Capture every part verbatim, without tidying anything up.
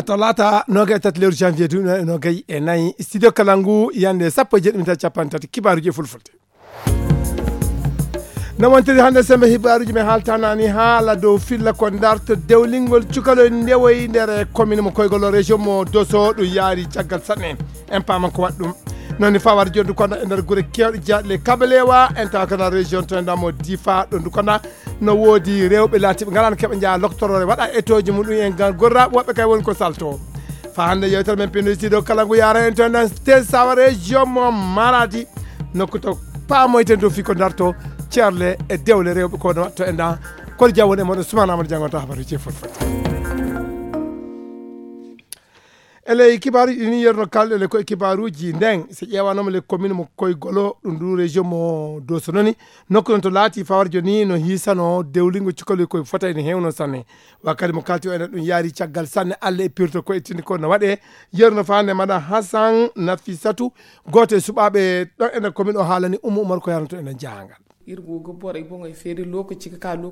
Talaata noogay e tati lewru janvier duuɓi noogay e nayi, studio kala ngu yande sappo e jeeɗi minta capanɗe tati, kibaaruuji e fulfulde. No wontiri hannde sembe hibaaruuji men haaltanani haala dow filla ko darto dewlingol cukaloy ndewoy nder commune mo koygol o région mo Doso ɗum yaari caggal sanne. En paaman ko waɗi ɗum. Noon ni fawar jondu kono e nder gure kewɗe jaaɗle kabalewa en tawa kana région to en damo difa ɗo ndu kono no woodi rewɓe laatiɓe ngalaano keɓa njaha loktoroore waɗa etoji muɗum en gan gorra woɓɓe kay woni ko salto. Fa hannde yewtere men pino sido kala ngu yara en to en dan stage sawa région mo Maradi nokku to paamoyten dow fii ko darto ceerle e dewle rewɓe ko no waɗto en dan kono jawwon e moɗon sumana amadou jangonta habaruji e fot fot. E ley kibaaruuji ɗi ni yerno kalɗe le koye kibaaruuji nden so ƴeewanoma le commune mo koye golo ɗum ndu région mo doso noni nokku noon to laati fawar joni no hiisano dewlingo cukalel koye fota ene hewno sanne. Wakkati mo kalti o enen ɗum yaari caggal sanne allah e pirto koye tindi ko no waɗe. Yerno fande maɗa hasan nafisatu gooto e suɓaaɓe ɗon enen commune o haalani umma umar ko yaranto enen jahangal.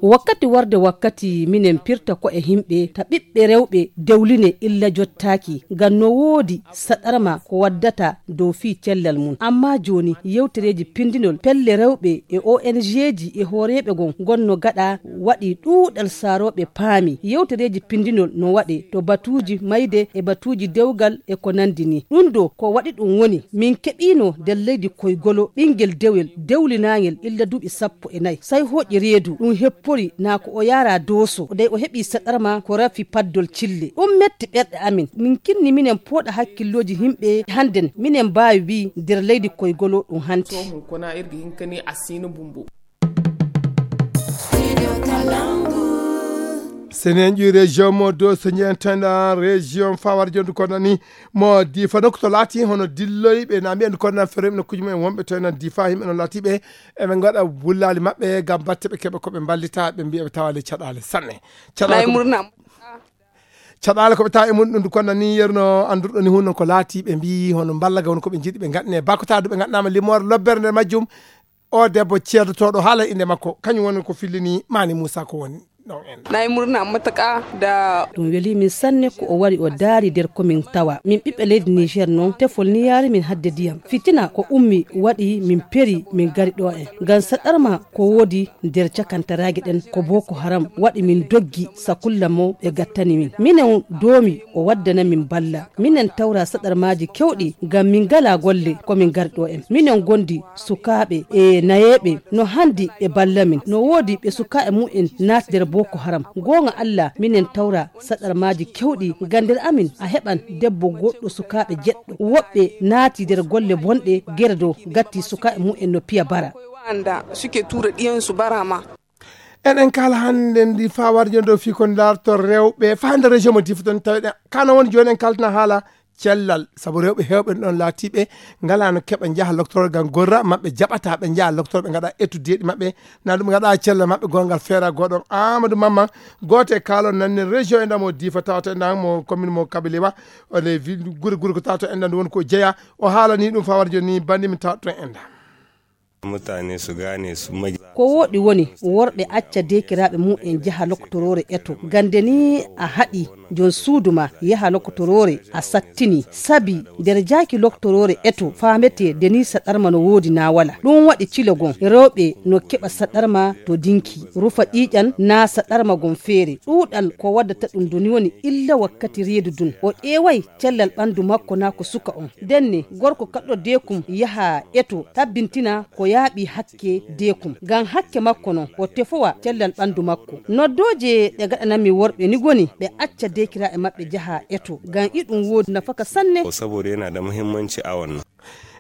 Wakkati warde wakkati minen pirta ko e himɓe ta ɓiɓɓe rewɓe dewline illa jottaaki ngam no woodi saɗarma ko waddata dow fii cellal mum. Amma jooni yewtereeji pindinol pelle rewɓe e O N G ji e hooreeɓe gon gonno gaɗa waɗi ɗuuɗal saarooɓe paami yewtereeji pindinol no waɗe to batuuji mayde e batuuji dewgal e ko nandi ni. Ɗum ɗo ko waɗi ɗum woni min keɓiino nder leydi koygolo ɓinngel dewel dewlinaangel illa duuɓi sappo e nayi. Say hooƴi reedu ɗum heppori naa ko o yaara dooso dey o heɓi saɗarma ko rafi paddol cille. Ɗum metti ɓerɗe amin. Min kinni minen pooɗa hakkillooji yimɓe hannden minen mbaawi wii nder leydi koygolo ɗum hanti. Sohmo kona irga hinkani asina bumbo. Senen ƴuwi région mo do so ñentana région fawar jondu kono ni mo difa nokku to laati hono dilloyɓe na mbiyen kono nan feroyɓe nokkuji mumen wonɓe to nan difa yimɓe no laatiɓe eɓe gaɗa wullali maɓɓe gam batte ɓe keɓa koɓe mballita ɓe mbiya ɓe tawali caɗale sanne. Caɗale murna. Caɗale koɓe tawa e mum ɗum kono ni yerno andurɗo ni hunno ko laati ɓe mbi hono mballa ga woni koɓe jiɗi ɓe gaɗane bakotadu ɓe gaɗanama limore lobbere nder majjum. O debbo ceedotoɗo haala inde makko kañum woni ko fillini mani moussa ko woni ɗon en. Nayi murna mataka da ɗum weli min sanne ko o wari o daari nder komin tawa min ɓiɓɓe leydi niger noon tefol ni yaari min hadde ndiyam fitina ko ummi waɗi min peri min gari ɗo en ngam saɗarma ko woodi nder cakantaraaji ɗen ko boko haram waɗi min doggi sakulla mo ɓe gattani min minen doomi o waddana min balla minen tawra saɗarmaaji kewɗi ngam min ngala golle ko min ngari ɗo en minen gondi sukaaɓe e nayeeɓe no hanndi ɓe balla min no woodi ɓe sukaaɓe mumen naati nder boko haram goonga allah minen tawra saɗarmaaji kewɗi ngam nder amin a heɓan debbo goɗɗo sukaaɓe jeɗɗo woɓɓe naati nder golle bonɗe gere dow gatti sukaaɓe mumen no piya bara. Wa'anda suke tura ɗiyansu bara ma. Eɗen kala hannde ndi fawar jondo fi ko darto rewɓe fa hannde région mo difa ton tawiɗen kano woni joni en kaltana haala cellal sabu rewɓe hewɓe ɗon laatiɓe ngalano keɓa jaaha loctoro gam gorra maɓɓe jaɓata ɓe jaaha loctoro ɓe gaɗa étude deeɗi maɓɓe na ɗum gaɗa cellal maɓɓe gongal feera goɗon amadou mamma goto e kalon nanni région e ndamo difa tawata e ndamo commune mo kabilewa one gure gure ko tawata e ndan woni ko jeeya o haalani ɗum fawar joni bandi mi tawata ton e nda. Mutane su gane su magi. Ko wooɗi woni worɓe acca deekiraaɓe mum en njaha lokotoroore eto. Gannde nii a haɗi joom suudu maa yaha lokotoroore a sattini. Sabi nder jaaki lokotoroore eto faametee denii saɗarma no woodi naa walaa. Ɗum waɗi cilo gom rewɓe no keɓa saɗarma to dinki, rufa ƴiiƴan naa saɗarma gom feere. Ɗuuɗal ko waddata ɗum doni woni illa wakkati reedu dun o ƴeeway cellal ɓanndu makko naa ko suka on. Ndenne gorko kaɗɗo deekum yaha eto tabbintina ko yaaɓi hakke deekum ngam hakke makko non o tefowa cellal ɓanndu makko. Noddooje ɗe gaɗanammi worɓe ni goni ɓe acca deekiraaɓe maɓɓe njaha eto ngam iɗum woodi nafaka sanne. Ko saboda yana da muhimmanci a wannan.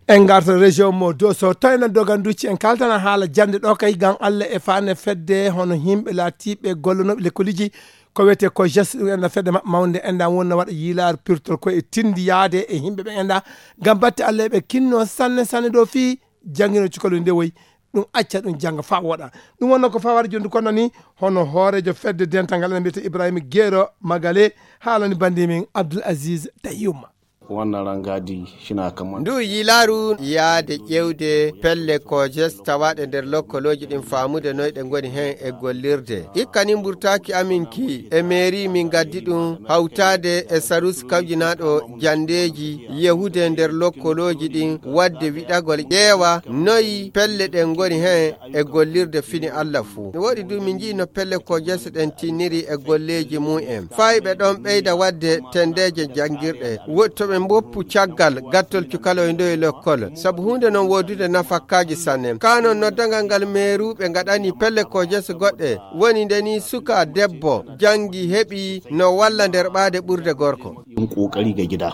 En garta région mo doso to enen doganducci en kaltana haala jannde ɗo kay ngam allah e faane fedde hono yimɓe laatiiɓe gollonooɓe lekkoliji ko wiyetee ko geste ɗum enɗan fedde maɓɓe mawnde enɗan wonna waɗa yiilaar pirtol ko e tindi yaade e yimɓe ɓe enɗan ngam batte allah eɓe kinno sanne sanne ɗo fii janngino cukalel nde woyi ɗum acca ɗum jannga faa wooɗa. Ɗum wonno ko fawar jondu kono ni hono hooreejo fedde dental ngal ene mbiyetee ibrahima geero magale haalani banndimin abdoul aziz dayyuma. Wonno rangadi shina kamar. Ndu yiilaaru yaade ƴeewde pelle kojes tawaaɗe nder lokkolooji ɗin, faamude noy ɗe ngoni heen e gollirde. Ikka ni mburtaaki amin ki e meeri min ngaddi ɗum hawtaade e sarus kawjinaaɗo janndeeji yehude nder lokkolooji ɗin, waɗde wiɗagol ƴeewa noy pelle ɗen ngoni heen e gollirde fini Alla fuu. No woɗi du min njii no pelle kojes ɗen tinniri e golleeji mum en. Fayɓe ɗon ɓeyda waɗde tendeeje janngirɗe. Woɗi to ɓe mboppu caggal gattol cukaloy ndoye lekkol. Sabu huunde non woodude nafakkaaji sanne. Kaa non noddangal ngal meeruuɓe ngaɗani pelle kojes goɗɗe. Woni nde ni suka debbo janngi heɓi no walla nder ɓaade ɓurde gorko. Ɗum ƙoƙari ga gida.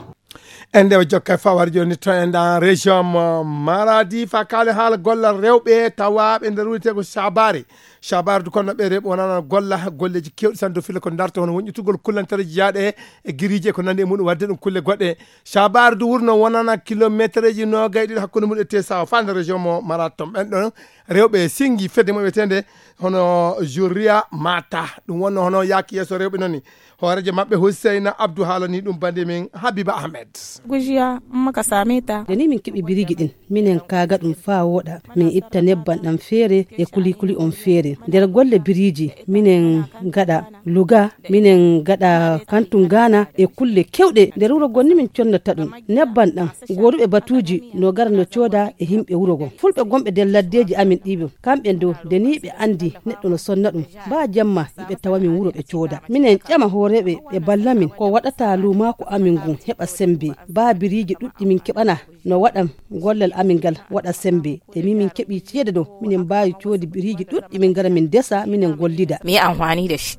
En ndewa jokka e fawar jooni to en ɗan région mo Maradi fa kaale haala gollal rewɓe tawaaɓe nder wiyetee ko Shabari. Shabari du kono ɓe rewɓe wonana golla golleeji keewɗi sanne dow filla ko darta hono wonƴitugol kullantereeji jaaɗe e giriiji e ko nandi e muɗum, waɗde ɗum kulle goɗɗe. Shabari du wurno wonana kilometereeji noogay ɗiɗi hakkunde muɗum e Tesawa fa nder région mo Maradi ton. Ɓen ɗon rewɓe singi fedde mo wiyeteende hono Juria Mata. Ɗum wonno hono yaaki yeeso rewɓe non ni. Hooreejo maɓɓe Huseyna Abdu haalani ɗum bande men Habiba Ahmed. Gujiya, in muka same ta. Da ni min keɓi biriji ɗin, minen kaaga ɗum faa wooɗa, min itta nebban ɗan feere e kuli-kuli on feere. Nder golle biriji, minen gaɗa luga, minen gaɗa kantu gaana e kulle kewɗe. Nder wuro gonni min connata ɗum. Nebban ɗan, gooduɓe batuuji no gara no cooda e himɓe wuro gon. Fulɓe gonɓe nder laddeeji amin ɗiɓo, kamɓe do, da ni ɓe andi neɗɗo no sonna ɗum. Ba jamma, ɓe tawa min wuro ɓe cooda. Minen ƴama hooreeɓe ɓe balla min ko waɗata luumaaku amin ngun heɓa sembe. Ba biriji ɗuɗɗi min keɓana no waɗa gollal amin ngal waɗa sembe. E min min keɓi ceede ɗo, minen mbaawi coodi biriji ɗuɗɗi min ngara min desa, minen gollida. Mi yi amfani da shi.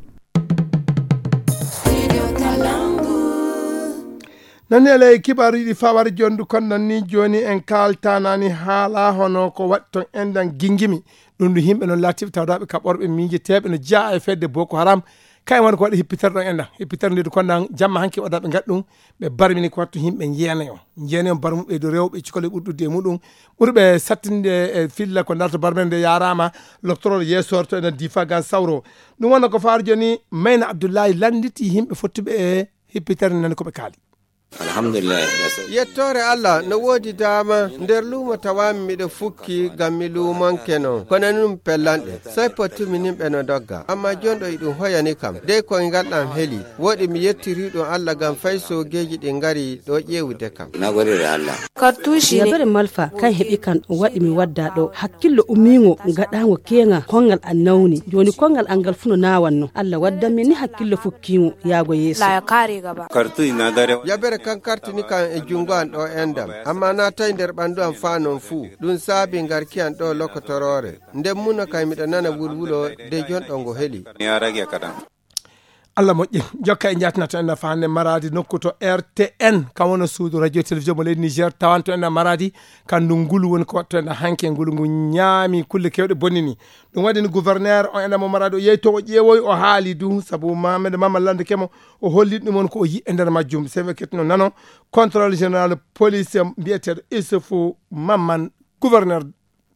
Nani e ley kibaaruuji ɗi fawari jondu kon nan ni jooni en kaaltanani haala hono ko waɗi ton enɗan gingimi. Ɗum ɗum yimɓe noon laatiiɓe tawdaaɓe kaɓorɓe miijeteeɓe no jeyaa e fedde Boko Haram. Kayen woni ko waɗi hippitere ɗon enɗan. Hippitere nde du kon nan jamma hanki o daɓe ngaɗ ɗum. Ɓe barmini ko wattu yimɓe njeenayo. Njeenayo barmuɓe dow rewɓe cukaloy ɓurɗude e muɗum. Ɓurɓe sattinde e filla ko darto barmere nde yaaraama loktorol yeesorto ena diifa gan sawro. Ɗum wonno ko faaro jooni Mayna Abdullahi lannditi yimɓe fottuɓe e hippitere nani ko ɓe kaali. Alhamdulillah. Yettoore Allah no woodi daama nder luumo tawaami miɗo fukki ngam mi luumonke non. Kono nun pellanɗe, sai pottumi nin ɓe no dogga. Amma jon ɗo iɗum hoyani kam. Dey koyngal ɗam heli. Woɗi mi yettiri ɗum Allah ngam fay soogeeji ɗi ngari ɗo ƴeewude kam. Na gode da Allah. Kartushi ne. Yabere malfa kan heɓi kan waɗi mi wadda ɗo. Hakkillo ummiingo gaɗaango keeŋa kongal an nawni. Jooni kongal an ngal fu no naawanno. Allah waddan min ni hakkillo fukkiingo yaago yeeso. La ya kare gaba. Kartushi na dare. Yabere kan kartini kan e junngo an ɗo endam. Amma na tawi nder ɓanndu am faa non fuu. Ɗum saabi ngarki an ɗo lokotoroore. Nden muna kay miɗo nana wulwulo de jon ɗo ngo heli. Ya rage kaɗan. Allah moƴƴi. Jokka e jatnato en nafa hannde Maradi nokku to R T N, kam wona suudu radio e télévision mo leydi Niger, tawanto en Maradi, kandu ngulu woni ko watto en hanke ngulu ngu ñaami kulle kewɗe bonnini. Ɗum waɗi ni gouverneur on ena mo Maradi o yehi to o ƴeewoyi o haali du, sabu Mamadou Mamadou Lande Kemo o holli ɗum on ko o yi'i e nder majjum. Sewe ketno nano, contrôle général police mbiyeteeɗo Issoufou Mamman, gouverneur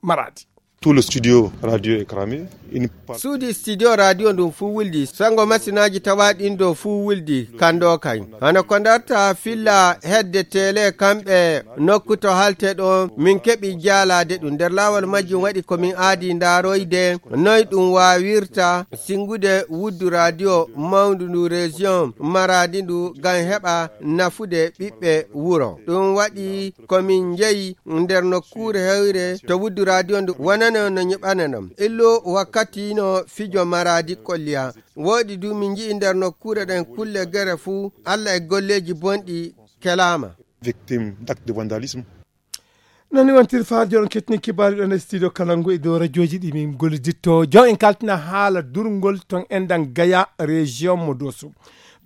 Maradi. Tout le studio radio est cramé. Une part- Suudi studio radio ndun fuu wuldi. Sango masinaaji tawaaɗi ɗin ɗo fuu wuldi. Kando kay. Hano ko darta filla hedde tele kamɓe nokku to halte ɗo min keɓi jaalaade ɗum. Nder laawol majjum waɗi ko min aadi ndaaroyde noy ɗum waawirta singude wuddu radio mawndu ndu région Maradi ndu ngam heɓa nafude ɓiɓɓe wuro. Ɗum waɗi ko min njeyi nder nokkuure hewre to wuddu radio ndu wonano no nyiɓanano. Illu wakkati no fijo Maradi kolliya. Woɗi du min nji'i nder nokkuure ɗen kulle gere fuu Allah e golleeji bonɗi kelaama. Victime d'acte de vandalisme. Nani wontiri faajo on kettini kibaaru ɗon e studio kala ngu e dow radioji ɗi min golliditto. Jon en kaltina haala durngol ton enɗan Gaya région mo Doso.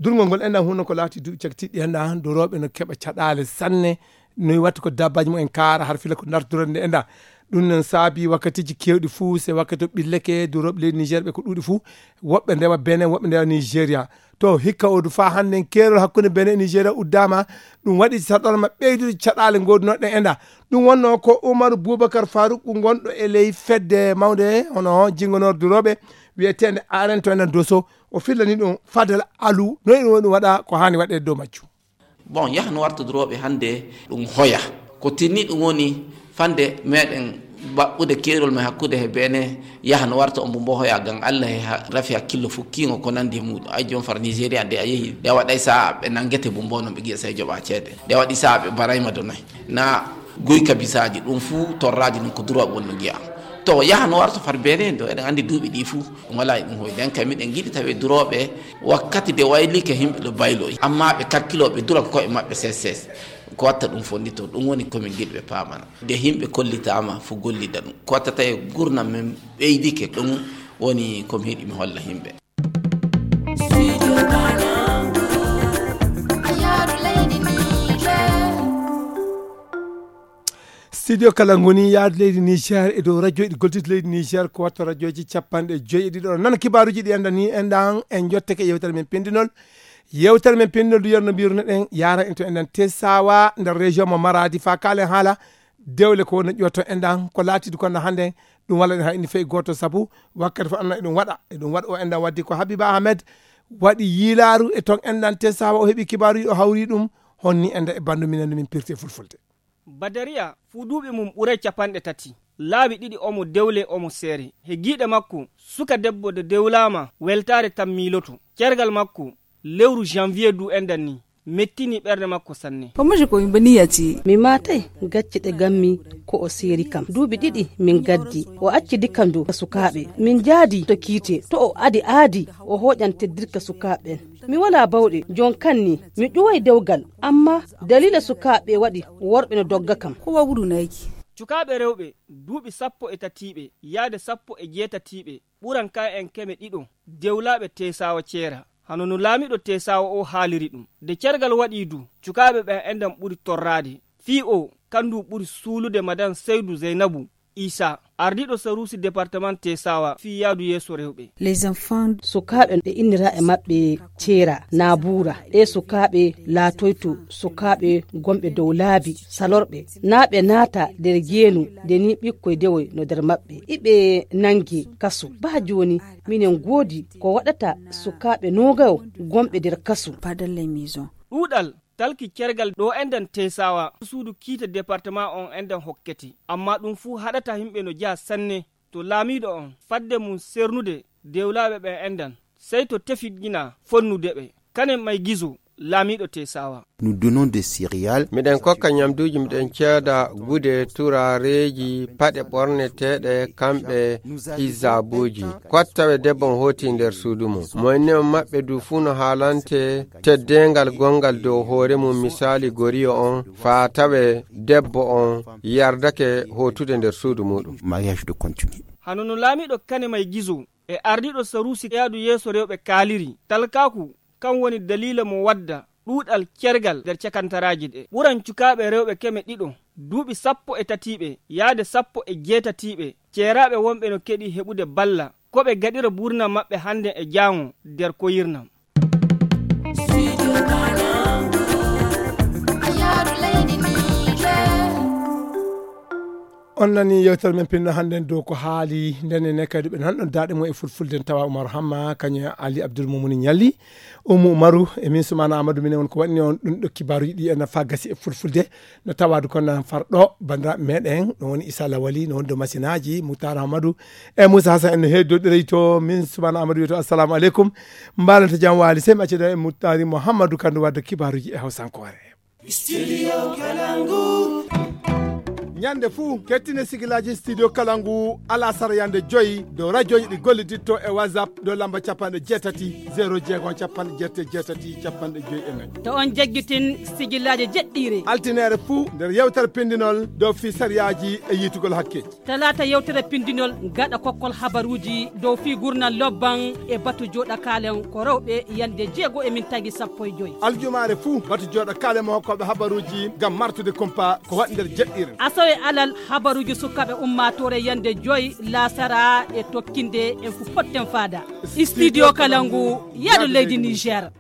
Durngol ngol enɗan hunno ko laati duuɓi cagtiɗi enɗan dorooɓe no keɓa caɗaale sanne. Noy watta ko dabbaji mo en kaara har fila ko dartorde enɗan. Ɗum non saabi wakkatiji kewɗi fuu se wakkati o ɓilleke durooɓe leydi Niger ɓe ko ɗuuɗi fuu. Woɓɓe ndewa Benin, woɓɓe ndewa Nigeria. To hikka odu faa hannden keerol hakkunde Benin e Nigeria uddaama. Ɗum waɗi sarɗorma ɓeydude caɗaale ngoodunooɗe enɗan. Ɗum wonno ko Umaru Bubakar Faruk gonɗo e ley fedde mawnde hono jingonor durooɓe wiyeteende Aren to enɗan Doso. O fillani ɗum Fadel Alu. Noy ɗum woni ɗum waɗa ko haani waɗeede dow majjum. Bon, yaha no warta durooɓe hannde ɗum hoya. Ko tinni ɗum woni fande meɗen baɓɓude keerol men hakkude he Benin, yaha no warta on mbo hoya ngam Allah he ha-, rafi hakkillo fukkiingo ko nandi e muɗum. Ay, joom far Nigeria nde a yehi, nde waɗay sa'a ɓe nangete mbo noon ɓe giya sey joɓa ceede. Nde waɗi sa'a ɓe barayma do noy. Na guyka bisaaji ɗum fuu torraaji ɗum ko durooɓe woni no giya. To yaha no warta far Benin do, eɗen anndi duuɓi ɗi fuu ɗum wala e ɗum hoy. Nden kay miɗen ngiɗi tawi durooɓe wakkati de waylike himɓe ɗo bayloyi. Amma ɓe kakkilooɓe dura ko koye maɓɓe ses ses. Ko watta ɗum fondito, ɗum woni ko min ngiɗi ɓe paamana. Nde himɓe kollitaama fuu gollida ɗum. Ko watta tawi gurnam men ɓeydike, ɗum woni ko mi yiɗi mi holla himɓe. Studio Kalangu. Studio Kalangu ni yaadu leydi Niger e dow radio ɗi golliti leydi Niger ko watta radioji capanɗe joyi e ɗiɗo. Nana kibaaruji ɗi enda ni enɗan en jottake yewtere men pindinol. Yewtere men pindinol du yerno mbirno ɗen yara en to enɗan Tesawa nder région mo Maradi fa kalen haala dewle ko woni ƴoto enɗan ko laatidu kono hannde ɗum walla ɗen hay indi fey gooto sabu wakkati fof anna eɗum waɗa, eɗum waɗa o enɗan waddi ko Habiba Ahmed waɗi yiilaaru e ton enɗan Tesawa o heɓi kibaaru o hawri ɗum honni enda e bandu minen no min pirti e fulfulde. Badariya fuu duuɓi mum ɓuray capanɗe tati. Laabi ɗiɗi omo dewle omo seere. He giiɗe makko, suka debbo de dewlaama weltaare tan miiloto. Cergal makko, lewru janvier du enɗan ni, mettini ɓernde makko sanne. Ko muji ko yimɓe niyati. Mi maatay gacce ɗe gammi ko o seeri kam. Duuɓi ɗiɗi min gaddi. O accidi kam du ka sukaaɓe. Min njaadi to kiite. To o adi aadi, o hooƴan teddirka sukaaɓe ɓen. Mi walaa bawɗe, jon kan ni, mi ƴuway dewgal. Amma daliila sukaaɓe waɗi worɓe no dogga kam. Ko wawru nayki. Cukaaɓe rewɓe, duuɓi sappo e tatiiɓe, yaade sappo e jeetatiiɓe, ɓuran ka en keme ɗiɗo, dewlaaɓe Teesaawa ceera. Hano no laamiiɗo Teesaawa o haaliri ɗum. De cergal waɗii du, cukaaɓe ɓen enɗan ɓuri torraade. Fii o, kandu ɓuri suulude Madan Saydu Zaynabu Isa, ardiiɗo saruusi departement Teesaawa fii yaadu yeeso rewɓe. Les enfants. Sukaaɓe ɓe innira e maɓɓe ceera, naa buura. Ɗee sukaaɓe laatoyto sukaaɓe gonɓe dow laabi, salorɓe, naa ɓe naata nder jeenu, nde ni ɓikkoy dewoy no nder maɓɓe. Iɓe nangi kasu. Baa jooni, minen goodi ko waɗata sukaaɓe noogayo gonɓe nder kasu. Pas dans les maisons. Ɗuuɗal talki cergal ɗo enɗan Teesaawa, suudu kiite departement on enɗan hokkete. Amma ɗum fuu haɗata yimɓe no jeya sanne to laamiiɗo on, fadde mum sernude dewlaaɓe ɓen enɗan, sey to tefiɗina fonnude ɓe. Kane may gizo, laamiiɗo Teesaawa. Nous donnons des céréales. Miɗen kokka ñamduuji, miɗen ceeda gude, turareeji, paɗe ɓorneteeɗe, kamɓe hijaabuuji. Ko watta tawe debbo on hooti nder suudu mum. Mo inni on maɓɓe du fuu no haalante teddeengal gonngal dow hoore mum, misaali goriyo on, faa tawe debbo on yardake hootude nder suudu muuɗum. Mariage de continuer. Hano no laamiiɗo Kane May Gizo e ardiiɗo saruusi yaadu yeeso rewɓe kaaliri, talkaaku kan woni daliila mo wadda ɗuuɗal cergal nder cakantaraaji ɗe. Ɓuran cukaaɓe rewɓe keme ɗiɗo, duuɓi sappo e tatiiɓe, yaade sappo e jeetatiiɓe, ceeraaɓe wonɓe no keɗi heɓude balla, ko ɓe gaɗira buurnam maɓɓe hannde e jaango nder koyirnam. On nani yewtere men pinno hannden dow ko haali nden e nekkadi ɓe nanɗon daaɗe mum e fulfulde en tawa Oumar Hamma kañum e Ali Abdoul Moumouni Ñalli. Oumou Oumarou e min Soumana Amadou minen won ko waɗni on ɗum ɗo kibaaruji ɗi e nafa gasi e fulfulde no tawadu kon nan far ɗo banndiraaɓe meɗen ɗum woni Issa Lawali no woni dow masinaji Moutar Amadou e Moussa Hassan en no heedodire to min Soumana Amadou wiyeto assalamu aleykum. Mbalanta jam waali sey mi accida e Moutari Mouhamadou Kandou wadde kibaaruji e hawsankoore. Studio Kalangu. Ñande fuu kettine sigilaji Studio Kalangu alasara yande joyi dow radioji ɗi golliditto e WhatsApp dow lamba capanɗe jeetati zéro jeegom capanɗe jeetati jeetati capanɗe joyi e nayi. To on jaggitin sigilaji jeɗɗiire. Altinere fuu nder yewtere pindinol dow fii sariyaji e yiitugol hakkeji. Talaata yewtere pindinol gaɗa kokkol habaruuji dow fii gurnal lobban e batu jooɗa kaalen ko rewɓe yande jeego e min tagi sappo e joy. Aljumaare fuu batu jooɗa kaalen mo hokkooɓe habaruuji ngam martude kumpa ko waɗi nder jeɗɗiire. Asawe alal habaruuji sukaaɓe ummaatoore yande joy laasara e tokkinde en fu potten faada. Studio Kalangu yaadu leydi Niger.